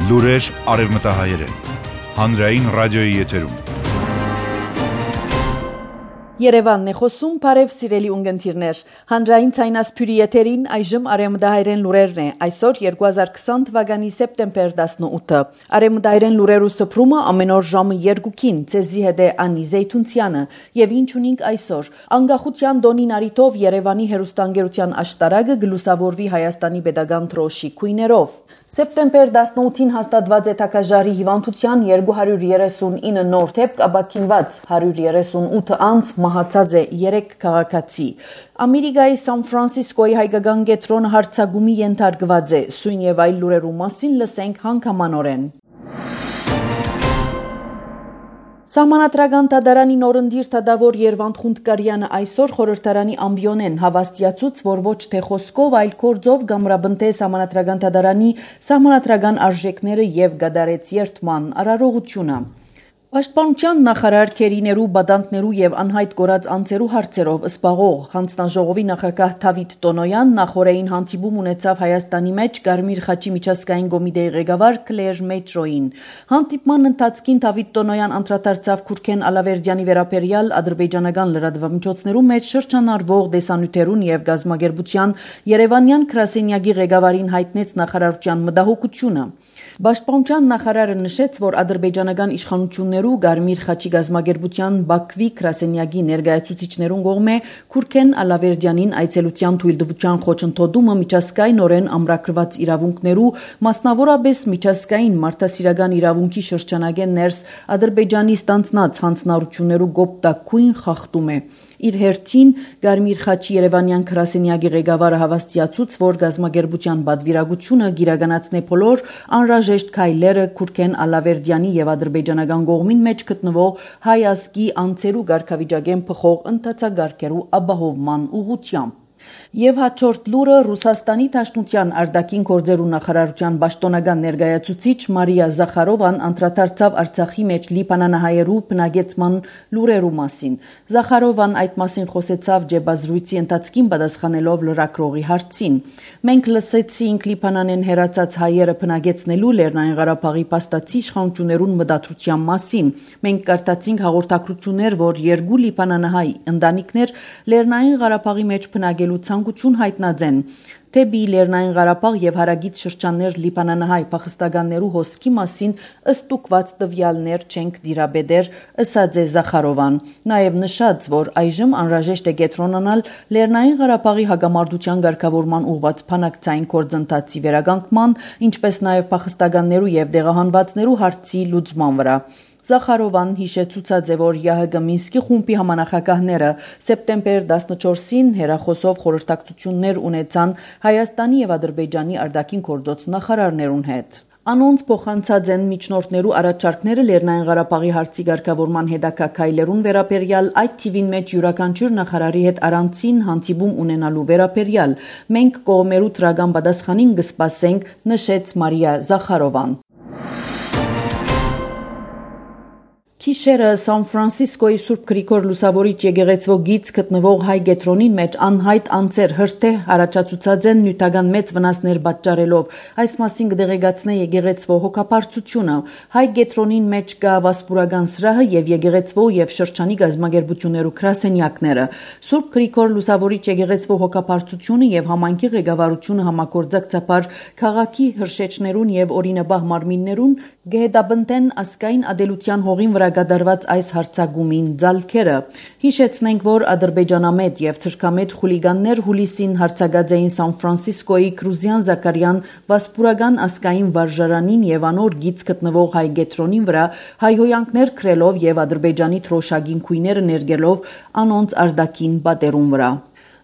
Լուրեր արևմտահայերեն, հանրային ռադիոյի եթերում։ Երևանն է խոսում, բարև սիրելի ունգընտիրներ, հանրային ցայնասփյուրի եթերին այժմ արևմտահայերեն լուրերն է, այսօր 2020 թվականի սեպտեմբեր 18-ը, արևմտահայերեն լուրերու սփռումը ամեն օր ժամը 2-ին, ցեզի հետ է Անի Զեյթունցյանը, եւ ինչ ունենք այսօր, անկախության դոնին արիթով Երևանի հերոստանգերության աշտարակը գլուսավորվի Հայաստանի Պետական դրոշի քույներով։ Սեպտեմբեր 18-ին հաստատված է թակաժարի հիվանդության 239 նոր դեպք, ապաքինված 138 անց մահացած է 3 քաղաքացի։ Ամերիկայի Սան Ֆրանսիսկոյի հայկական կենտրոնը հարձակումի ենթարկված է, սույն եւ այլ լուրերու մասին լսենք հանգամանորեն։ Սահմանադրական դատարանի նորընտիր դատավոր Երվանդ Խունդկարյանը այսօր խորհրդարանի ամբիոնեն հավաստիացուց, որ ոչ թե խոսքով, այլ գործով գամրաբնթե սահմանադրական դատարանի սահմանադրական արժեքները եւ գդարեց երթման արարողությունը։ Պաշտպանության նախարար Քերիներու, բադանտներու եւ անհայտ կորած անձերու հարցերով սպաղող հանձնաժողովի նախագահ Դավիթ Տոնոյան նախորդին հանդիպում ունեցավ Հայաստանի մեջ Գարմիր խաչի միջազգային կոմիտեի ղեկավար Կլեր Մետրոին։ Հանդիպման ընթացքին Դավիթ Տոնոյան անդրադարձավ Քուրքեն Ալավերդյանի վերաբերյալ ադրբեջանական լրատվամիջոցներու մեջ շրջանառվող դեսանյութերուն եւ գազམ་ագերբության Երևանյան գրասենյակի ղեկավարին հայտնեց նախարարության մտահոգությունը։ Պաշտպանության նախարարը նշեց, որ ադրբեջանական իշխանություններու Գարմիր խաչի գազམ་ագերբության Բաքվի գրասենյակի ներկայացուցիչներուն կողմէ Քուրքեն Ալավերդյանին այցելության թույլտվության խոչընդոտումը միջազգայինորեն ամրագրված իրավունքներու, մասնավորապես միջազգային մարդասիրական իրավունքի շրջանագեն ներս Ադրբեջանի ստանձնած հանձնառություններու գոպտակույն խախտում է։ Իր հերթին Գարմիր խաչի Երևանյան գրասենյակի ղեկավարը հավաստիացուց, որ գազམ་ագերբության բادվիրագությունը գիրականացնե բոլոր անհրաժեշտ քայլերը Քուրքեն Ալավերդյանի եւ ադրբեջանական կողմին մեջ գտնվող հայ ազգի անձերու ղարքավիճակեն փոխող ընթացագարկերու ապահովման ուղղությամբ։ Եվ հաջորդ լուրը Ռուսաստանի Դաշնության արտաքին գործերու նախարարության պաշտոնական ներկայացուցիչ Մարիա Զախարովան անդրադարձավ Արցախի մեջ լիբանանահայերու բնակեցման լուրերու մասին։ Զախարովան այդ մասին խոսեցավ ջեբազրույցի ընթացքին պատասխանելով լրագրողի հարցին։ Մենք լսեցինք Լիբանանեն հերացած հայերը բնակեցնելու Լեռնային Ղարաբաղի փաստացի իշխանություններուն մտադրության մասին։ Մենք կարդացինք հաղորդակցություններ, որ երկու լիբանանահայ ընտանիքներ Լեռնային Ղարաբաղի մեջ բնակելու ցանկություն հայտնած են։ Դեպի Լեռնային Ղարաբաղ եւ հարագից շրջաններ լիբանանահայ փախստականներու հոսքի մասին ըստուկված տվյալներ չենք դիրաբեդեր, ըսած է Զախարովան։ Նաեւ նշած, որ այժմ անհրաժեշտ է կենտրոնանալ Լեռնային Ղարաբաղի հագամարտության ղեկավարման ուղղված փանակցային գործընթացի վերականգնման, ինչպես նաեւ փախստականներու եւ դեղահանվածներու հարցի լուծման վրա։ Զախարովան հիշեցուցած է, որ ՀՀԳ Մինսկի խումբի համանախագահները սեպտեմբեր 14-ին հերախոսով խորհրդակցություններ ունեցան Հայաստանի եւ Ադրբեջանի արտաքին գործոց նախարարներուն հետ։ Անոնց փոխանցած են միջնորդներու առաջարկները Լեռնային Ղարաբաղի հարցի ղեկավարման հետագա քայլերուն վերաբերյալ, այդ թիվին մեջ յուրաքանչյուր նախարարի հետ առանցին հանդիպում ունենալու վերաբերյալ։ Մենք կողմերու դրական պատասխանին կսպասենք, նշեց Մարիա Զախարովան։ Քիշերը Սան Ֆրանսիսկոյի Սուրբ Գրիգոր Լուսավորիչ եկեղեցվո գից գտնվող հայ գետրոնին մեջ անհայտ անձեր հրթե առաջացուցած են նյութական մեծ վնասներ պատճառելով։ Այս մասին կդեղեկացնե եկեղեցվո հոգապարծությունը։ Հայ գետրոնին մեջ կա վասպուրական սրահը եւ եկեղեցվո եւ շրջանի գազམ་ագերբություններու գրասենյակները։ Սուրբ Գրիգոր Լուսավորիչ եկեղեցվո հոգապարծությունը եւ համայնքի ղեկավարությունը համագործակցաբար քաղաքի հրշեջներուն եւ օրինաբահ մարմիններուն գեհդաբնտեն ասկային ադելության հողին վրա գդարված այս հարցագումին ձալքերը։ Հիշեցնենք, որ ադրբեջանամետ եւ թրքամետ խուլիգաններ հուլիսին հարցակած էին Սան Ֆրանսիսկոյի Կրուզյան Զաքարյան վասպուրական ասկային վարժարանին եւ անոր գից գտնվող հայ գետրոնին վրա հայհոյանքներ քրելով եւ ադրբեջանի թրոշագին քույները ներգելով անոնց արտաքին պատերուն վրա։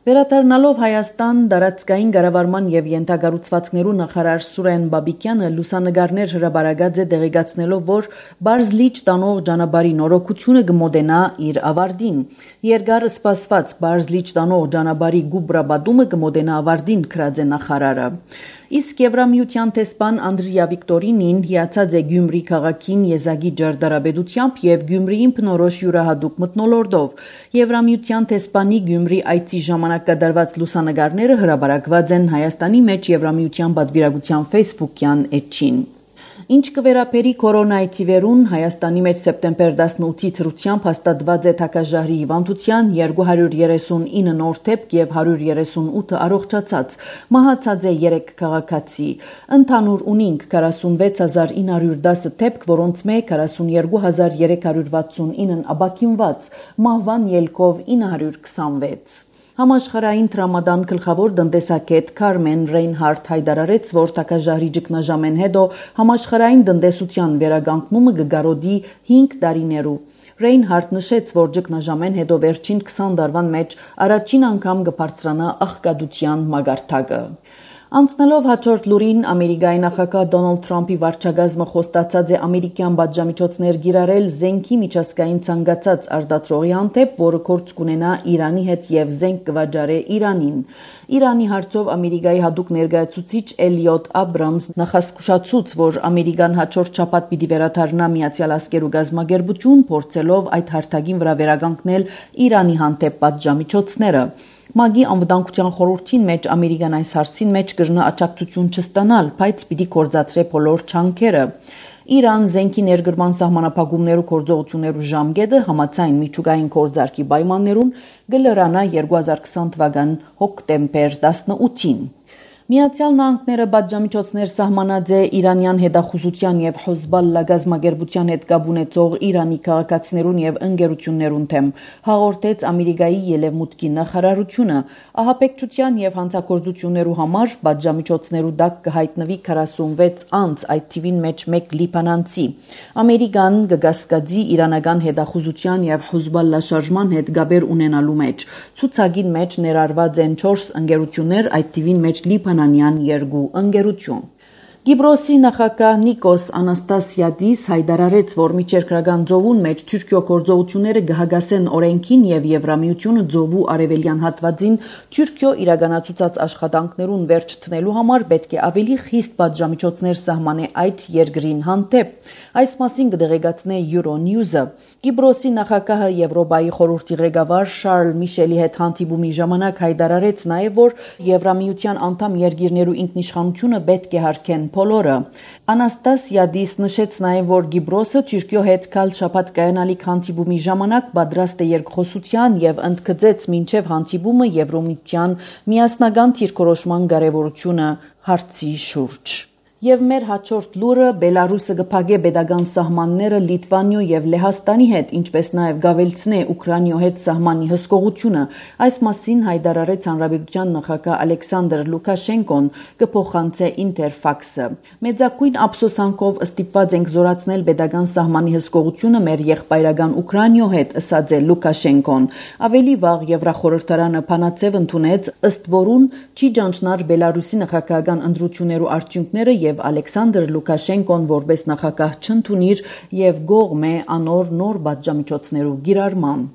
Վերադառնալով Հայաստան դարածքային կառավարման եւ յենթագառուցվածքներու նախարար Սուրեն Բաբիկյանը լուսանգարներ հրաբարագած է դեղեկացնելով, որ Բարզլիճ տանող ճանապարհի նորոգությունը կմոտենա իր ավարտին։ Երկար սպասված Բարզլիճ տանող ճանապարհի գուբրաբադումը կմոտենա ավարտին, գրած է նախարարը։ Իսկ Եվրամիության տեսփան Անդրիա Վիկտորինին հիացած է Գյումրի քաղաքին եզակի ջարդարաբեդությամբ եւ Գյումրիին բնորոշ յուրահատուկ մթնոլորտով։ Եվրամիության տեսփանի Գյումրի այցի ժամանակ կատարված լուսանգարները հրաբարակված են Հայաստանի մեջ Եվրամիության պատվիրակության Facebook-յան էջին։ Ինչ կվերապերի կորոնայի թիվերուն, Հայաստանի մեջ սեպտեմբեր 18-ի թրությամբ հաստատված է թակաժահրի հիվանդության 239 նոր դեպք եւ 138 առողջացած, մահացած է 3 քաղաքացի։ Ընդհանուր ունինք 46910 դեպք, որոնց մեկ 42369 աբակինված, մահվան ելքով 926։ Համաշխարհային տրամադան գլխավոր տնտեսագետ Քարմեն Ռեյնհարդ հայտարարեց, որ թակաժահրի ճգնաժամեն հետո համաշխարհային տնտեսության վերագանքումը կգարոդի 5 տարիներու։ Ռեյնհարդ նշեց, որ ճգնաժամեն հետո վերջին 20 տարվան մեջ առաջին անգամ կբարձրանա աղքատության մագարտակը։ Անցնելով հաջորդ լուրին, Ամերիկայի նախագահ Դոնալդ Թրամփի վարչագազմը խոստացած է ամերիկյան պատժամիջոցներ գիրառել զենքի միջազգային ցանկացած արտադրողի հանդեպ, որը գործ կունենա Իրանի հետ եւ զենք կվաճառե Իրանին։ Իրանի հարցով Ամերիկայի հատուկ ներկայացուցիչ Էլիոտ Աբրամս նախազգուշացուց, որ Ամերիկան հաջորդ շաբաթ պիտի վերադառնա Միացյալ Աշխարհի գազམ-ագերբություն, փորձելով այդ հարթակին վրա վերագանքնել Իրանի հանդեպ պատժամիջոցները։ ՄԱԳ-ի անվտանգության խորհրդին մեջ Ամերիկան այս հարցին մեջ կրնա աջակցություն չստանալ, բայց պիտի կործածրե բոլոր ջանքերը։ Իրան զենքի ներգրման սահմանափակումներու գործողություններու ժամկետը համաձայն միջուկային գործարքի պայմաններուն կլրանա 2020 թվական հոկտեմբեր 18-ին։ Միացյալ Նահանգները պատժամիջոցներ սահմանած է Իրանյան հետախուզության եւ Հեզբոլլա գազམ-ագերբության հետ կապ ունեցող Իրանի քաղաքացիներուն եւ ընկերություններուն թեմ, հաղորդեց Ամերիկայի ելևմուտքի նախարարությունը։ Ահաբեկչության եւ հանցագործություններու համար պատժամիջոցներու դակ կհայտնվի 46 անձ, այդ թիվին մեջ 1 լիբանանցի։ Ամերիկան կգասկածի իրանական հետախուզության եւ Հեզբոլլա շարժման հետ գաբեր ունենալու մեջ։ Ցուցակին մեջ ներառված են 4 ընկերություններ, այդ թիվին մեջ Լիբանանյան 2 ընկերություն։ Կիպրոսի նախագահ Նիկոս Անաստասիադիս հայտարարեց, որ միջերկրական ծովուն մեջ Թուրքիո գործողությունները կհագասեն օրենքին եւ Եվրամիությունը ծովու արևելյան հատվածին Թուրքիո իրականացուցած աշխատանքներուն վերջ տնելու համար պետք է ավելի խիստ պատժամիջոցներ սահմանե այդ երկրին հանդեպ։ Այս մասին կդեղեկացնե Euronews-ը։ Կիպրոսի նախագահը Եվրոպայի խորհրդի ղեկավար Շարլ Միշելի հետ հանդիպումի ժամանակ հայտարարեց նաեւ, որ Եվրամիության անդամ երկիրներու ինքնիշխանությունը պետք է հարգեն բոլորը։ Անաստասիադիս նշեց նաև, որ Կիպրոսը Թուրքիո հետ կալ շաբաթ կայանալիք հանդիպումի ժամանակ պատրաստ է երկխոսության եւ ընդգծեց մինչեւ հանդիպումը Եվրոմիության միասնական դիրքորոշման կարեւորությունը հարցի շուրջ։ Եվ մեր հաջորդ լուրը Բելարուսը կփակե պետական սահմանները Լիտվանիո եւ Լեհաստանի հետ, ինչպես նաեւ գավելցնե Ուկրաինայո հետ սահմանի հսկողությունը։ Այս մասին հայտարարեց Հանրապետության նախագահ Ալեքսանդր Լուկաշենկոն, կփոխանցե Ինտերֆաքսը։ Մեծակույն ափսոսանքով ստիպված ենք զորացնել պետական սահմանի հսկողությունը մեր եղբայրական Ուկրաինայո հետ, ըսած է Լուկաշենկոն։ Ավելի վաղ Եվրախորհրդարանը փանացև ընդունեց, ըստ որուն չի ճանչնար Բելարուսի նախագահական ընտրություններու արդյունքները եւ Ալեքսանդր Լուկաշենկոն որպես նախագահ չընդունիր եւ գողմ է անոր նոր պատժամիջոցներու գիրառման։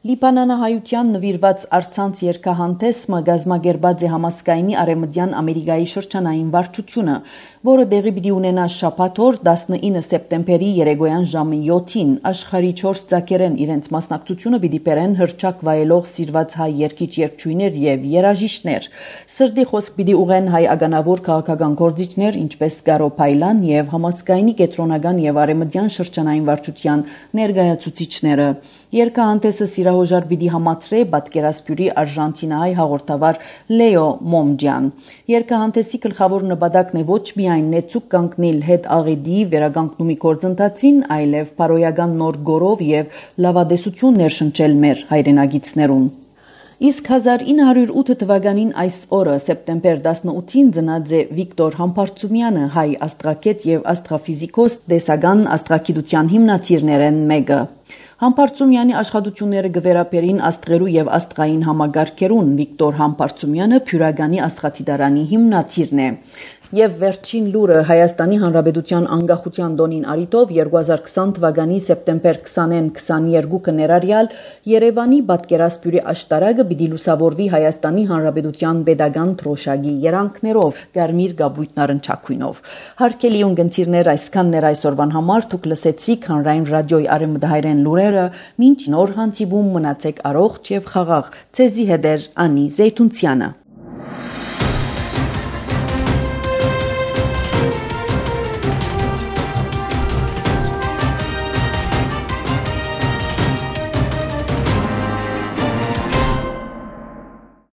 Լիբանանահայության նվիրված արցանց երկհանտեսը գազམ-ագերբած է համասկայնի արևմտյան Ամերիկայի շրջանային վարչությունը, որը տեղի պիտի ունենա շաբաթ օր 19 սեպտեմբերի երեկոյան ժամը 7-ին։ Աշխարհի 4 ցակերեն իրենց մասնակցությունը պիտի բերեն հրճակ վայելող սիրված հայ երգիչ-երգչուհիներ եւ երաժիշտներ։ Սրդի խոսք պիտի ուղեն հայ ագանավոր քաղաքական գործիչներ, ինչպես Գարո Փայլան եւ համասկայնի կենտրոնական եւ արևմտյան շրջանային վարչության ներկայացուցիչները։ Երկհանտեսը սիրահոժար պիտի համացրե պատկերասպյուրի Արժանտինայի հաղորդավար Լեո Մոմջյան։ Երկհանտեսի գլխավոր նպատակն է ոչ միայն նեցուկ կանգնել հետ աղեդի վերագանքնումի գործընթացին, այլև բարոյական նոր գորով եւ լավադեսություն ներշնչել մեր հայրենագիցներուն։ Իսկ 1908 թվականին այս օրը սեպտեմբեր 18-ին ծնած է Վիկտոր Համբարձումյանը, հայ աստղագետ եւ աստղաֆիզիկոս, տեսական աստղագիտության հիմնադիրներեն մեկը։ Համբարձումյանի աշխատությունները գվերապերին աստղերու եւ աստղային համագարկերուն։ Վիկտոր Համբարձումյանը Փյուրագանի աստղադիտարանի հիմնադիրն է։ Եվ վերջին լուրը Հայաստանի Հանրապետության անկախության տոնին առիթով 2020 թվականի սեպտեմբեր 20-ին 22-ը ներառյալ Երևանի պատկերասպյուրի աշտարակը պիտի լուսավորվի Հայաստանի Հանրապետության պետական դրոշակի երանգներով, կարմիր գաբույտ նարնջակույնով։ Հարգելի ունկնդիրներ, այսքանն էր այսօրվան համար, դուք լսեցիք Հանրային ռադիոյի արևմտահայերեն լուրերը, մինչ նոր հանդիպում մնացեք առողջ եւ խաղաղ։ Ցեզի հետ էր Անի Զեյթունցյանը։